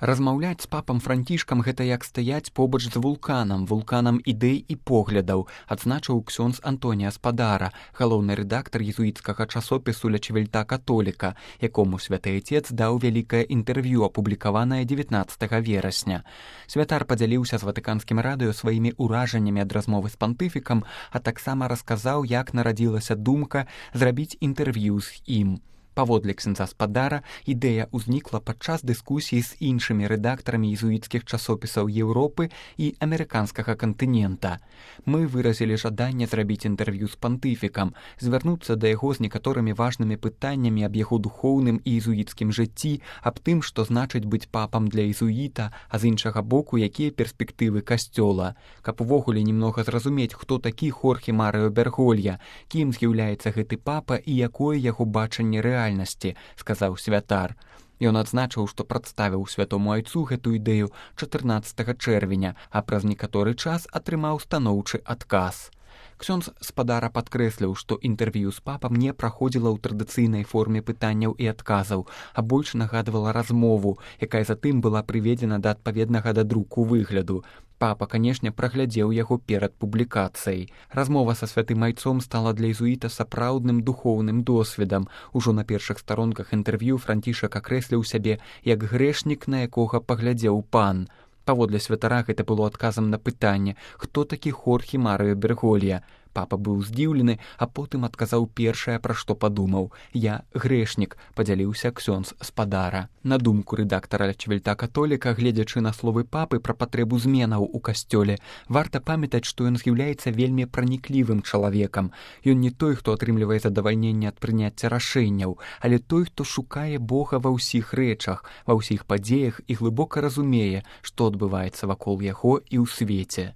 Размаўляць з папам Францішкам гэта як стаяць побач з вулканам ідэй і поглядаў, адзначыў ксёндз Антонія Спадара, галоўны рэдактар езуіцкага часопісу «Ля Чевельта Католіка», якому святы Отец даў вялікае інтэрв'ю, апублікаванае 19 верасня. Святар падзяліўся з Ватыканскім радыё сваімі ўражаннямі ад размовы з пантыфікам, а таксама расказаў, як нарадзілася думка зрабіць інтэрв'ю з ім. Паводле ксяндза Спадара, ідэя ўзнікла падчас дыскусіі з іншымі рэдактарамі езуіцкіх часопісаў Еўропы і амерыканскага кантынента. Мы выразілі жаданне зрабіць інтэрв'ю з пантыфікам, звярнуцца да яго з некаторымі важнымі пытаннямі аб яго духоўным і езуіцкім жыцці, аб тым, што значыць быць папам для езуіта, а з іншага боку, якія перспектывы касцёла. Каб увогуле немнога зразумець, хто такі Хорхе Марыо Берголья, кім з'яўляецца гэты папа і якое яго бачанне рэальнасці, сказаў святар. Ён адзначыў, што прадставіў святому айцу гэту ідэю 14 чэрвеня, а праз некаторы час атрымаў станоўчы адказ. Ксёндз Спадара падкрэсліў, што інтэрв'ю з папам не праходзіла ў традыцыйнай форме пытанняў і адказаў, а больш нагадвала размову, якая затым была прыведзена да адпаведнага да друку выгляду. Папа, канешне, праглядзеў яго перад публікацыяй. Размова са святым айцом стала для езуіта сапраўдным духоўным досведам. Ужо на першых старонках інтэрв'ю Францішак акрэсліў сябе як грэшнік, на якога паглядзеў пан. Паводле святара гэта было адказам на пытанне, хто такі Хорхе Марыо Берголья. Папа быў здзіўлены, а потым адказаў першае, пра што падумаў. «Я грэшнік», падзяліўся ксёндз Спадара. На думку рэдактара «Ля Чевельта Католіка», гледзячы на словы папы пра патрэбу зменаў у касцёле, варта памятаць, што ён з'яўляецца вельмі праніклівым чалавекам. Ён не той, хто атрымлівае задавальненне ад прыняцця рашэнняў, але той, хто шукае Бога ва ўсіх рэчах, ва ўсіх падзеях і глыбока разумее, што адбываецца вакол яго і ў свеце.